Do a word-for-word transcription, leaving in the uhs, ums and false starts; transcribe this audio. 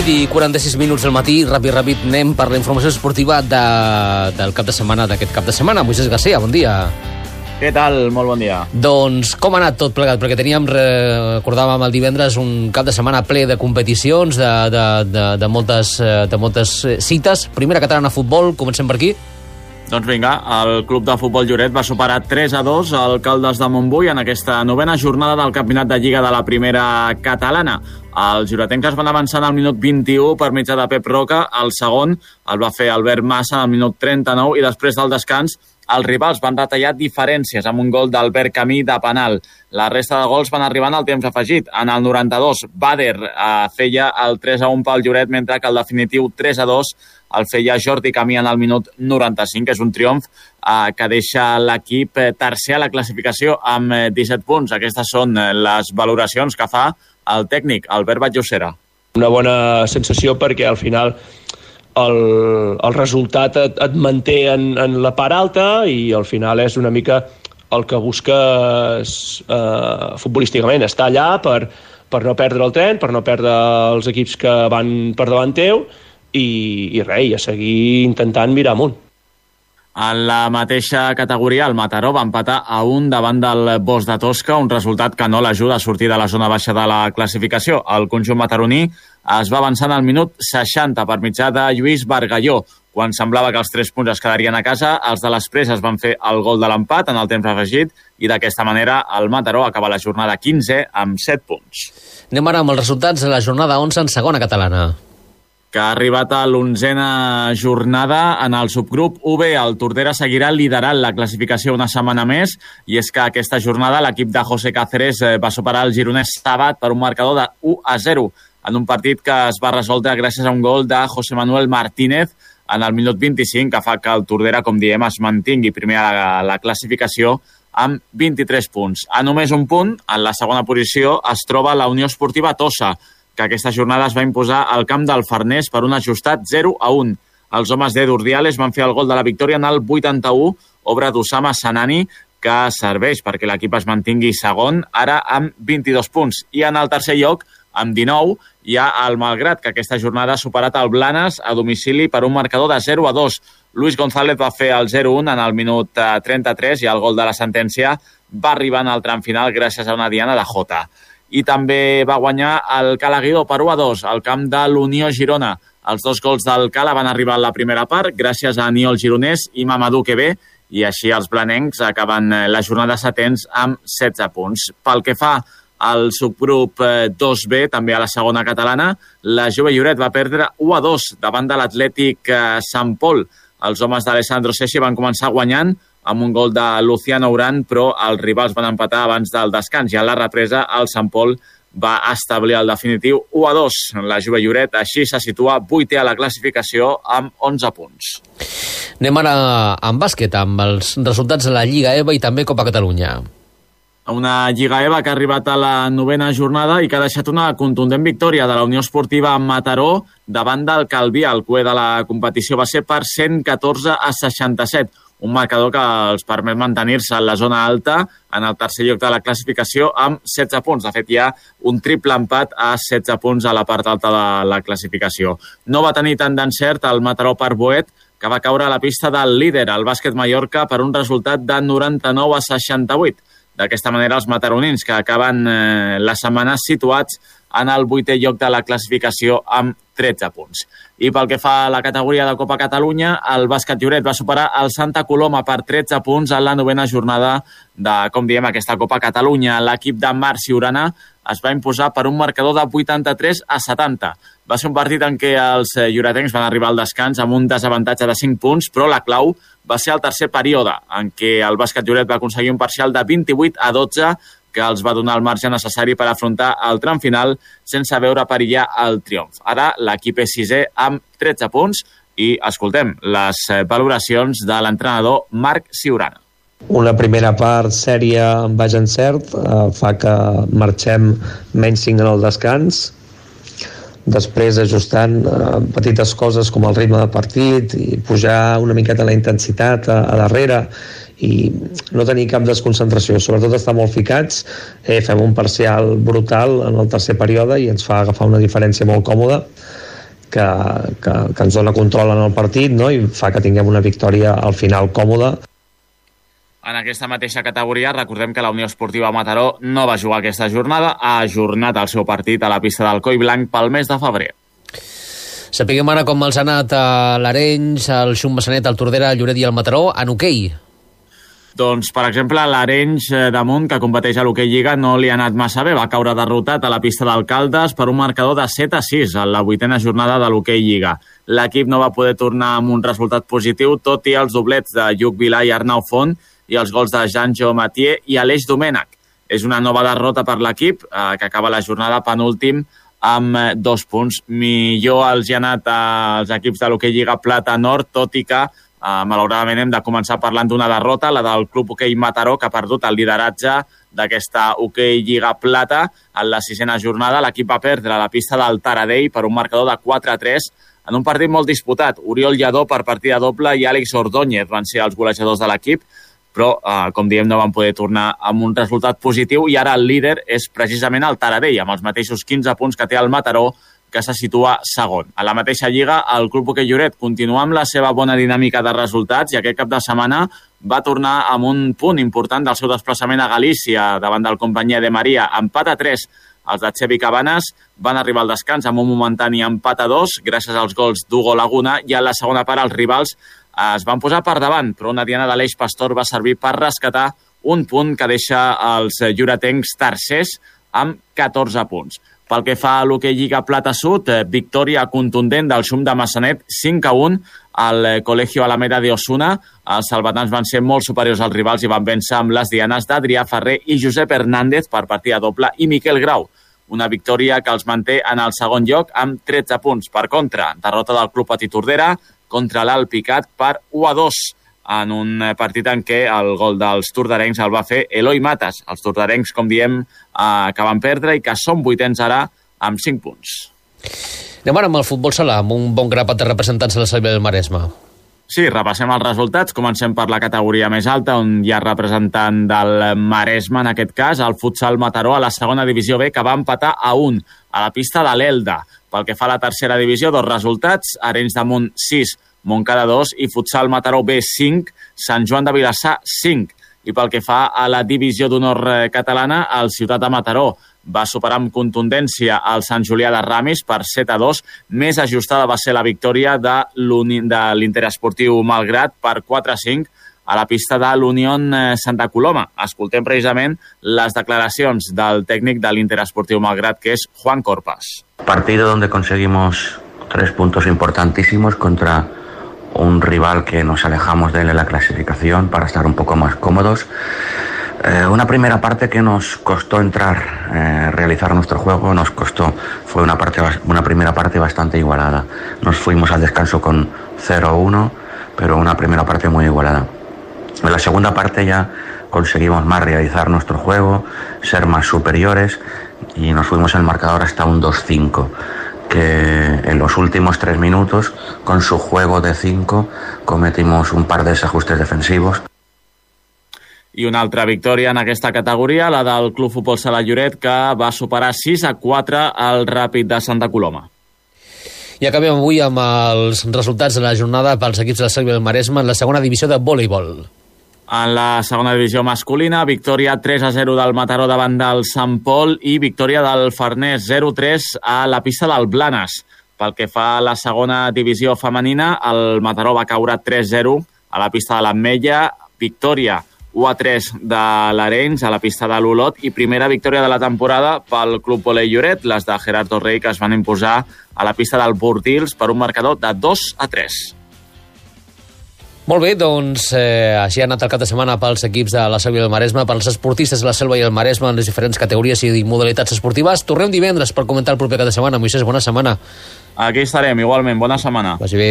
vuit i quaranta-sis minuts del matí, ràpid, ràpid, anem per la informació esportiva de, del cap de setmana, d'aquest cap de setmana. Moisés Garcia, bon dia. Què tal? Molt bon dia. Doncs com ha anat tot plegat? Perquè teníem, recordàvem el divendres, un cap de setmana ple de competicions, de, de, de, de, moltes, de moltes cites. Primera catalana futbol, comencem per aquí. Doncs vinga, el club de futbol Lloret va superar tres a dos al Caldes de Montbui en aquesta novena jornada del campionat de Lliga de la primera catalana. Els lloretencs es van avançar al minut vint-i-u per mitjà de Pep Roca. El segon el va fer Albert Massa al minut trenta-nou i després del descans els rivals van retallar diferències amb un gol d'Albert Camí de penal. La resta de gols van arribant al temps afegit. En el noranta-dos, Bader eh, feia el tres a un pel Lloret, mentre que el definitiu tres a dos el feia Jordi Camí en el minut noranta-cinc. És un triomf eh, que deixa l'equip tercer a la classificació amb disset punts. Aquestes són les valoracions que fa el tècnic Albert Batllocera. Una bona sensació perquè al final el, el resultat et, et manté en, en la part alta i al final és una mica el que busques eh, futbolísticament, estar allà per, per no perdre el tren, per no perdre els equips que van per davant teu i, i res, i a seguir intentant mirar amunt. En la mateixa categoria, el Mataró va empatar a un davant del Bosch de Tosca, un resultat que no l'ajuda a sortir de la zona baixa de la classificació. El conjunt mataroní es va avançar al minut seixanta per mitjà de Lluís Bargalló. Quan semblava que els tres punts es quedarien a casa, els de les Preses van fer el gol de l'empat en el temps afegit i d'aquesta manera el Mataró acaba la jornada quinze amb set punts. Anem ara amb els resultats de la jornada onze en segona catalana, que ha arribat a l'onzena jornada en el subgrup U B. El Tordera seguirà liderant la classificació una setmana més i és que aquesta jornada l'equip de José Cáceres va superar el gironès Sabat per un marcador de u a zero en un partit que es va resoldre gràcies a un gol de José Manuel Martínez en el minut vint-i-cinc, que fa que el Tordera, com diem, es mantingui primer a la, la classificació amb vint-i-tres punts. A només un punt, en la segona posició, es troba la Unió Esportiva Tossa, que aquesta jornada es va imposar al camp del Farners per un ajustat zero a un. Els homes d'Edu Urdiales van fer el gol de la victòria en el vuitanta-u, obra d'Usama Sanani, que serveix perquè l'equip es mantingui segon, ara amb vint-i-dos punts. I en el tercer lloc, amb dinou, hi ha el Malgrat, que aquesta jornada ha superat el Blanes a domicili per un marcador de zero a dos. Luis González va fer el zero a un en el minut trenta-tres i el gol de la sentència va arribar en el tram final gràcies a una diana de Jota. I també va guanyar el Cala Guidó per u a dos al camp de l'Unió Girona. Els dos gols del Cala van arribar a la primera part gràcies a Aniol Gironès i Mamadou Quebé i així els blanencs acaben la jornada setens amb setze punts. Pel que fa al subgrup dos B, també a la segona catalana, la Jove Lloret va perdre u a dos davant de l'Atlètic Sant Pol. Els homes d'Alessandro Sessi van començar guanyant amb un gol de Luciano Urán, però els rivals van empatar abans del descans i a la represa el Sant Pol va establir el definitiu u a dos. La Jove Lloret així se situa vuitè a la classificació amb onze punts. Anem ara amb bàsquet, amb els resultats de la Lliga EVA i també Copa Catalunya. Una Lliga EVA que ha arribat a la novena jornada i que ha deixat una contundent victòria de la Unió Esportiva Mataró davant del Calvià. El cué de la competició va ser per cent catorze a seixanta-set. Un marcador que els permet mantenir-se en la zona alta en el tercer lloc de la classificació amb setze punts. De fet, hi ha un triple empat a setze punts a la part alta de la classificació. No va tenir tant d'encert el Mataró per Boet, que va caure a la pista del líder, el Bàsquet Mallorca, per un resultat de noranta-nou a seixanta-vuit. D'aquesta manera, els mataronins, que acaben eh, la setmana situats en el vuitè lloc de la classificació amb tretze punts. I pel que fa a la categoria de Copa Catalunya, el Bàsquet Lloret va superar el Santa Coloma per tretze punts en la novena jornada de, com diem, aquesta Copa Catalunya. L'equip de Marc Siurana es va imposar per un marcador de vuitanta-tres a setanta. Va ser un partit en què els lloretencs van arribar al descans amb un desavantatge de cinc punts, però la clau va ser el tercer període, en què el Bàsquet Lloret va aconseguir un parcial de vint-i-vuit a dotze, que els va donar el marge necessari per afrontar el tram final sense veure perillar el triomf. Ara l'equip és sisè amb tretze punts i escoltem les valoracions de l'entrenador Marc Siurana. Una primera part sèria amb baix encert eh, fa que marxem menys cinc en el descans. Després ajustant eh, petites coses com el ritme de partit i pujar una miqueta la intensitat a, a darrere i no tenir cap desconcentració, sobretot estar molt ficats. Eh, fem un parcial brutal en el tercer període i ens fa agafar una diferència molt còmoda. que, que, que ens dona control en el partit, no? I fa que tinguem una victòria al final còmoda. En aquesta mateixa categoria, recordem que la Unió Esportiva Mataró no va jugar aquesta jornada, ha ajornat el seu partit a la pista del Coll Blanc pel mes de febrer. Sapiguem ara com els ha anat a l'Arenys, el Xum Massanet, el Tordera, el Lloret i el Mataró en hoquei. Doncs, per exemple, l'Arenys damunt, que competeix a l'hoquei Lliga, no li ha anat massa bé. Va caure derrotat a la pista d'Alcaldes per un marcador de set a sis a la vuitena jornada de l'hoquei Lliga. L'equip no va poder tornar amb un resultat positiu, tot i els doblets de Lluc Vilà i Arnau Font i els gols de Jean-Jo Mathieu i Aleix Domènech. És una nova derrota per l'equip, eh, que acaba la jornada penúltim amb eh, dos punts. Millor els hi ha anat als equips de l'hoquei Lliga Plata Nord, tot i que, eh, malauradament, hem de començar parlant d'una derrota, la del Club Hoquei Mataró, que ha perdut el lideratge d'aquesta hoquei Lliga Plata. En la sisena jornada, l'equip va perdre a la pista del Taradell per un marcador de quatre a tres, en un partit molt disputat. Oriol Lladó per partida doble i Àlex Ordóñez van ser els golejadors de l'equip, però, eh, com diem, no van poder tornar amb un resultat positiu i ara el líder és precisament el Taradell, amb els mateixos quinze punts que té el Mataró, que se situa segon. A la mateixa lliga, el Club Hoquei Lloret continua amb la seva bona dinàmica de resultats i aquest cap de setmana va tornar amb un punt important del seu desplaçament a Galícia davant del Companyia de Maria. Empat a tres. Els de Xevi Cabanes van arribar al descans amb un momentani empat a dos gràcies als gols d'Hugo Laguna i a la segona part els rivals es van posar per davant, però una diana d'Aleix Pastor va servir per rescatar un punt que deixa els lloretencs tercers amb catorze punts. Pel que fa a l'hoquei Lliga Plata Sud, victòria contundent del Xum de Massanet, cinc a un al Colegio Alameda de Osuna. Els salvatans van ser molt superiors als rivals i van vèncer amb les dianes d'Adrià Ferrer i Josep Hernández per partida doble i Miquel Grau. Una victòria que els manté en el segon lloc amb tretze punts. Per contra, derrota del Club Petit Tordera contra l'Alpicat per u a dos en un partit en què el gol dels tordarencs el va fer Eloi Matas. Els tordarencs, com diem, eh, que van perdre i que són vuitens ara amb cinc punts. Anem ara amb el futbol sala, amb un bon grapat de representants de la Selva del Maresme. Sí, repassem els resultats. Comencem per la categoria més alta, on hi ha representant del Maresme, en aquest cas, el Futsal Mataró, a la segona divisió B, que va empatar a un a la pista de l'Elda. Pel que fa a la tercera divisió, dos resultats, Arenys de Munt sis, Montcada dos i Futsal Mataró B cinc, Sant Joan de Vilassar cinc. I pel que fa a la divisió d'honor catalana, el Ciutat de Mataró va superar amb contundència el Sant Julià de Ramis per set a dos. Més ajustada va ser la victòria de l'Interesportiu Malgrat per quatre a cinc a la pista de l'Unión Santa Coloma. Escoltem precisament les declaracions del tècnic de l'Interesportiu Malgrat, que és Juan Corpas. Partido donde conseguimos tres puntos importantísimos contra un rival que nos alejamos de él en la clasificación para estar un poco más cómodos. Eh, una primera parte que nos costó entrar, eh, realizar nuestro juego, nos costó, fue una, parte, una primera parte bastante igualada. Nos fuimos al descanso con cero a uno, pero una primera parte muy igualada. En la segunda parte ya conseguimos más realizar nuestro juego, ser más superiores y nos fuimos el marcador hasta un dos cinco. Que en los últimos tres minutos, con su juego de cinco, cometimos un par de desajustes defensivos. I una altra victòria en aquesta categoria, la del Club Futbol Sala Lloret, que va superar sis a quatre al Ràpid de Santa Coloma. I acabem avui amb els resultats de la jornada pels equips de la Selva del Maresme en la segona divisió de voleibol. En la segona divisió masculina, victòria tres a zero del Mataró davant del Sant Pol i victòria del Farners zero a tres a la pista del Blanes. Pel que fa a la segona divisió femenina, el Mataró va caure tres a zero a la pista de l'Ametlla, victòria u a tres de l'Arenys a la pista de l'Olot i primera victòria de la temporada pel Club Volei Lloret, les de Gerardo Rey, que es van imposar a la pista del Bordils per un marcador de dos a tres. Molt bé, doncs eh, així ha anat el cap de setmana pels equips de la Selva i el Maresme, pels esportistes de la Selva i el Maresme en les diferents categories i modalitats esportives. Tornem divendres per comentar el proper cap de setmana. Moisés, bona setmana. Aquí estarem, igualment. Bona setmana. Vagi bé.